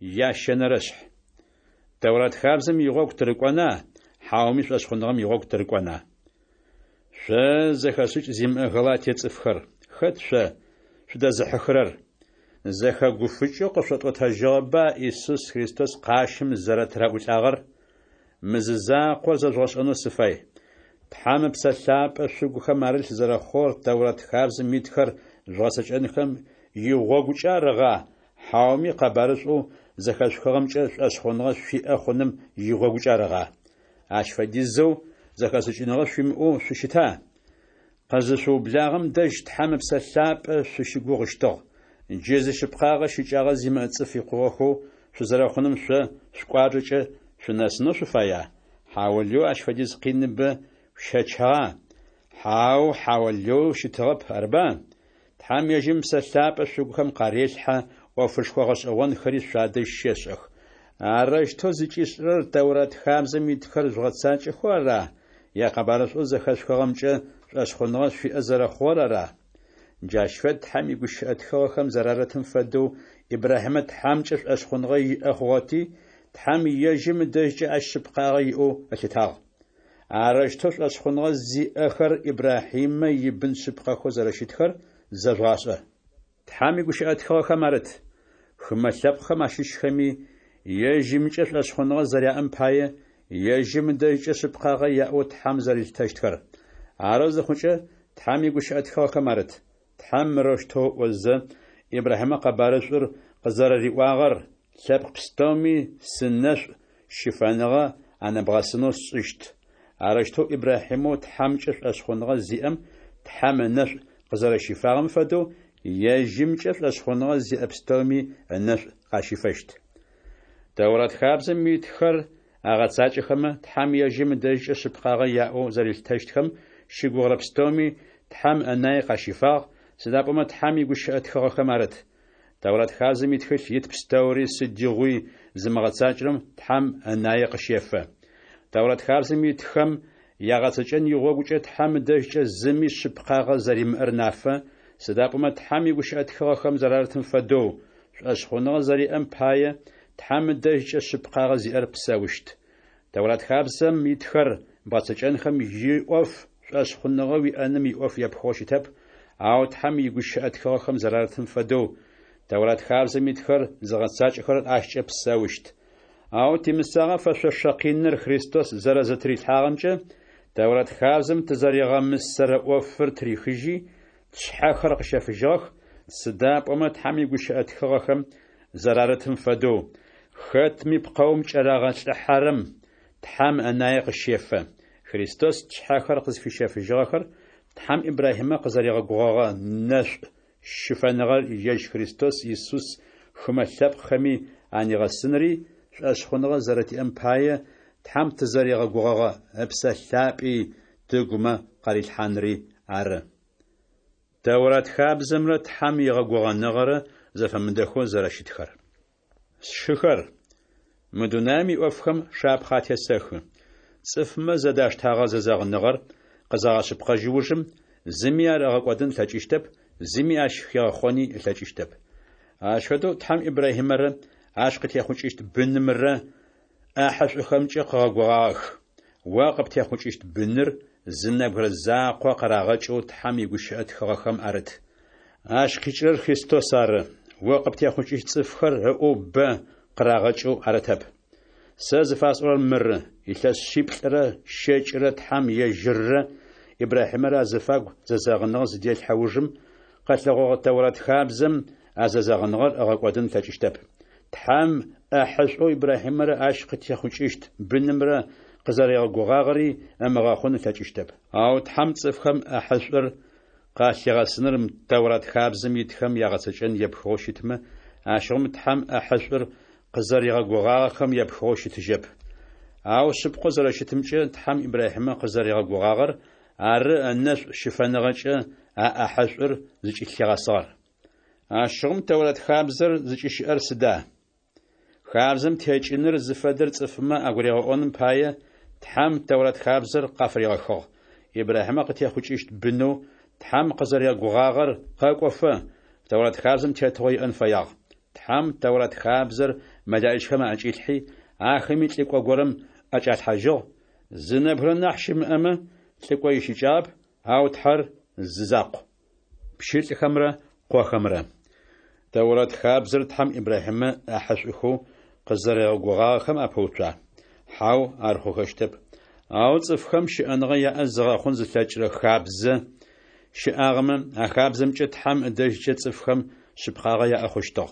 Ящэнэрэшъхь. Тэурат хабзэм игъогу тырыкӏона, хьауми шӏошъхъуныгъэм игъогу тырыкӏона? Шъо зэхэшӏыкӏ зимыӏэ Галатие цӏыфхэр, хэт шъо шъудэзыхьыхырэр? Зэхэгуфыкӏэу къышъотӏотэжьыгъэба Исус Христос къащым зэрэтыраӏулӏагъэр? Мы зы закъор зэжъугъэшӏэнэу сыфай: Тхьэм Ыпсэ Лъапӏэ шъугухэм арылъ зэрэхъугъэр Тэурат хабзэм итхэр жъугъэцэкӏэнхэм игъогукӏэ арыгъа, хьауми къэбарышӏоу зэхэшъухыгъэмкӏэ шӏошъхъуныгъэ шъуиӏэ хъуным игъогукӏэ арыгъа? Ащ фэдизэу зэхэшӏыкӏыныгъэ шъуимыӏэу шъущыта? Къызышъуублагъэм дэжь Тхьэм Ыпсэ Лъапӏэ шъущыгугъыщтыгъ. Джы зишъыпкъагъэ щыкӏагъэ зимыӏэ цӏыф икъугъэхэу шъузэрэхъуным шъо шъукӏуачӏэкӏэ шъунэсынэу шъуфая? Хьаулыеу ащ фэдиз къиныбэ шъущэчыгъа? Хьау, хьаулыеу щытыгъэп, арыба? Тхьэм ежьым Ыпсэ Лъапӏэ шъугухэм къарелъхьэ, ӏофышхо гъэшӏэгъонхэри шъуадэжь щешӏэх. Арэущтэу зыкӏишӏырэр Тэурат хабзэм итхэр жъугъэцакӏэхэу ара е къэбарышӏоу зэхэшъухыгъэмкӏэ шӏошъхъуныгъэ шъуиӏэ зэрэхъугъэр ара? Джащ фэд Тхьэм игущыӏэ тхыгъэхэм зэрарытым фэдэу, Ибрахьимэ Тхьэмкӏэ шӏошъхъуныгъэ иӏэ хъугъэти, Тхьэм ежьым ыдэжькӏэ ащ шъыпкъагъэ иӏэу ылъытагъ. Арэущтэу шӏошъхъуныгъэ зиӏэхэр Ибрахьимэ ибын шъыпкъэхэу зэрэщытхэр зэжъугъашӏэ. Тхьэм игущыӏэ тхыгъэхэм арыт: Хымэ лъэпкъхэм ащыщхэми, ежьымкӏэ шӏошъхъуныгъэ зэряӏэм пае, ежьым ыдэжькӏэ шъыпкъагъэ яӏэу Тхьэм зэрилъытэщтхэр. Арэу зыхъукӏэ, Тхьэм игущыӏэ тхыгъэхэм арыт: Тхьэм мырэущтэу ыӏозэ, Ибрахьимэ къэбарышӏур къызэрэриӏуагъэр: Лъэпкъ пстэуми сынэшӏу щыфэныгъэ анэбгъэсынэу сшӏыщт. Арэущтэу Ибрахьимэу Тхьэмкӏэ шӏошъхъуныгъэ зиӏэм Тхьэм ынэшӏу къызэрэщифагъэм фэдэу, ежьымкӏэ шӏошъхъуныгъэ зиӏэ пстэуми ынэшӏу къащифэщт. Тэурат хабзэм итхэр агъэцакӏэхэмэ, Тхьэм ежьым ыдэжькӏэ шъыпкъагъэ яӏэу зэрилъытэщтхэм щыгугъырэ пстэуми Тхьэм ынае къащифагъ, сыда пӏомэ Тхьэм игущыӏэ тхыгъэхэм арыт: Тэурат хабзэм итхылъ ит пстэури сыдигъуи зымыгъэцакӏэрэм Тхьэм ынае къыщефэ. Тэурат хабзэм итхэм ягъэцэкӏэн игъогукӏэ Тхьэм ыдэжькӏэ зыми шъыпкъагъэ зэримыӏэр нафэ, сыда пӏомэ Тхьэм игущыӏэ тхыгъэхэм зэрарытым фэдэу, шӏошъхъуныгъэ зэриӏэм пае Тхьэм ыдэжькӏэ шъыпкъагъэ зиӏэр псэущт. Тэурат хабзэм итхэр бгъэцэкӏэнхэм иӏоф шӏошъхъуныгъэ уиӏэным иӏоф епхыгъэу щытэп, ау Тхьэм игущыӏэ тхыгъэхэм зэрарытым фэдэу, Тэурат хабзэм итхэр зыгъэцакӏэхэрэр ащкӏэ псэущт. Ау тимысагъэ фэшъошэ къиныр Христос зэрэзытырилъхьагъэмкӏэ Тэурат хабзэм тызэригъэмысэрэ ӏофыр тырихыжьи, тшъхьэхэр къыщэфыжьыгъэх, сыда пӏомэ Тхьэм игущыӏэ тхыгъэхэм зэрарытым фэдэу, хэтми пкъэум кӏэрагъэлӏыхьэрэм Тхьэм ынае къыщефэ. Христос тшъхьэхэр къызфищэфыжьыгъэхэр Тхьэм Ибрахьимэ къызэригъэгугъэгъэ нэшӏу щыфэныгъэр ежь Христос Исус хымэ лъэпкъхэми анигъэсынри, шӏошъхъуныгъэ зэрэтиӏэм пае Тхьэм тызэригъэгугъэгъэ Ыпсэ Лъапӏи тыгумэ къарилъхьанри ары. Тэурат хабзэмрэ Тхьэм игъэгугъэныгъэрэ зэфэмыдэхэу зэрэщытхэр. Сшыхэр, мы дунаем иӏофхэм шапхъэ атесэхы. Цӏыфмэ зэдаштэгъэ зэзэгъыныгъэр къызагъэшъыпкъэжь ужым, зыми ар ыгъэкӏодын ылъэкӏыщтэп, зыми ащ хигъэхъони ылъэкӏыщтэп. Ащ фэдэу Тхьэм Ибрахьимэрэ ащ къытехъукӏыщт бынымрэ ӏахьышӏухэмкӏэ къыгъэгугъагъэх. О къыптехъукӏыщт быныр зы нэбгырэ закъо къырагъэкӏэу Тхьэм игущыӏэ тхыгъэхэм арыт. Ащ къикӏырэр Христос ары. О къыптехъукӏыщт цӏыфхэр ыӏоу бэ къырагъэкӏэу арытэп. Сэ зыфасӏорэр мыры: илъэс шъиплӏырэ щэкӏырэ Тхьэм ежьыррэ Ибрахьимэрэ азыфагу зэзэгъыныгъэ зыделъхьэ ужым, къэлъэгъогъэ Тэурат хабзэм а зэзэгъыныгъэр ыгъэкӏодын ылъэкӏыщтэп. Тхьэм ӏэхьышӏоу Ибрахьимэрэ ащ къытехъукӏыщт бынымрэ къызэригъэгугъагъэри ымыгъэхъун ылъэкӏыщтэп. Ау Тхьэм цӏыфхэм ӏэхьышӏур къалъигъэсыныр Тэурат хабзэм итхэм ягъэцэкӏэн епхыгъэу щытмэ, ащыгъум Тхьэм ӏэхьышӏур къызэригъэгугъагъэхэм епхыгъэу щытыжьэп. Ау шъыпкъэу зэрэщытымкӏэ, Тхьэм Ибрахьимэ къызэригъэгугъагъэр ары ынэшӏу щыфэныгъэкӏэ а ӏэхьышӏур зыкӏылъигъэсыгъэр. Ащыгъум Тэурат хабзэр зыкӏыщыӏэр сыда? Хабзэм текӏыныр зыфэдэр цӏыфмэ агуригъэӏоным пае, Тхьэм Тэурат хабзэр къафыригъэхыгъ. Ибрахьимэ къытехъукӏыщт бынэу Тхьэм къызэригъэгугъагъэр къэкӏофэ, Тэурат хабзэм тетыгъо иӏэн фэягъ. Тхьэм Тэурат хабзэр мэлэӏичхэм аӏэкӏилъхьи, ахэми лӏыкӏо горэм ӏэкӏалъхьажьыгъ. Зы нэбгырэ нахь щымыӏэмэ, лӏыкӏо ищыкӏагъэп, ау Тхьэр зы закъу. Пщылӏхэмрэ къохэмрэ. Тэурат хабзэр Тхьэм Ибрахьимэ ӏахьышӏухэу къызэригъэгугъагъэхэм апэуцуа? Хьау, ар хъухэщтэп. Ау цӏыфхэм щыӏэныгъэ яӏэ зыгъэхъун зылъэкӏырэ хабзэ щыӏагъэмэ, а хабзэмкӏэ Тхьэм ыдэжькӏэ цӏыфхэм шъыпкъагъэ яӏэ хъущтыгъ.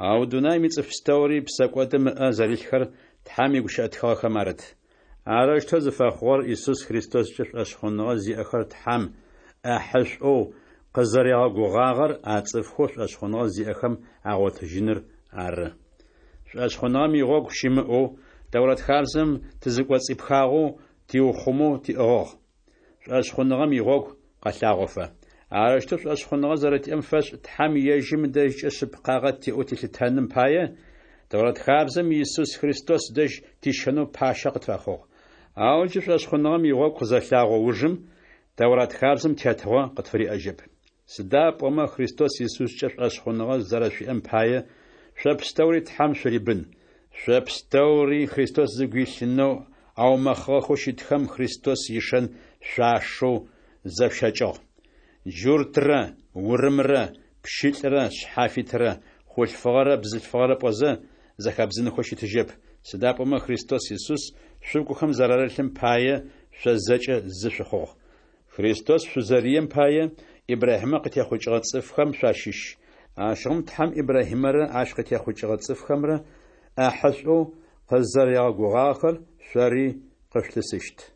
Ау дунаим ицӏыф пстэури псэкӏодым ыӏэ зэрилъхэр Тхьэм игущыӏэ тхыгъэхэм арыт. Арэущтэу зыфэхъугъэр Исус Христоскӏэ шӏошъхъуныгъэ зиӏэхэр Тхьэм ӏэхьышӏоу къызэригъэгугъагъэр а цӏыфхэу шӏошъхъуныгъэ зиӏэхэм агъотыжьыныр ары. Шӏошъхъуныгъэм игъогу щымыӏэу, Тэурат хабзэм тызыкӏоцӏипхагъэу тиухъумэу тиӏыгъыгъ. Шӏошъхъуныгъэм игъогу къэлъагъофэ. Арэущтэу шӏошъхъуныгъэ зэрэтиӏэм фэшӏ Тхьэм ежьым ыдэжькӏэ шъыпкъагъэ тиӏэу тилъытэным пае, Тэурат хабзэм Исус Христос дэжь тищэнэу пащэ къытфэхъугъ. Ау джы шӏошъхъуныгъэм игъогу къызэлъагъо ужым, Тэурат хабзэм тетыгъо къытфыриӏэжьэп. Сыда пӏомэ Христос Исускӏэ шӏошъхъуныгъэ зэрэшъуиӏэм пае, шъо пстэури Тхьэм шъурибын. Шъо пстэури Христос зыгу илъынэу аумэхъыгъэхэу щытхэм Христос ишэн шъуашэу зэшъущэкӏыгъ. Джуртрэ урымрэ, пщылӏрэ шъхьафитрэ, хъулъфыгъэрэ бзылъфыгъэрэ пӏозэ, зэхэбдзынхэу щытыжьэп, сыда пӏомэ Христос Исус шъугухэм зэрарылъым пае, шъо зэкӏэ зы шъухъугъ. Христос шъузэрием пае, Ибрахьимэ къытехъукӏыгъэ цӏыфхэм шъуащыщ. Ащыгъум Тхьэм Ибрахьимэрэ ащ къытехъукӏыгъэ цӏыфхэмрэ ӏэхьышӏоу къызэригъэгугъагъэхэр шъори къышъулъысыщт.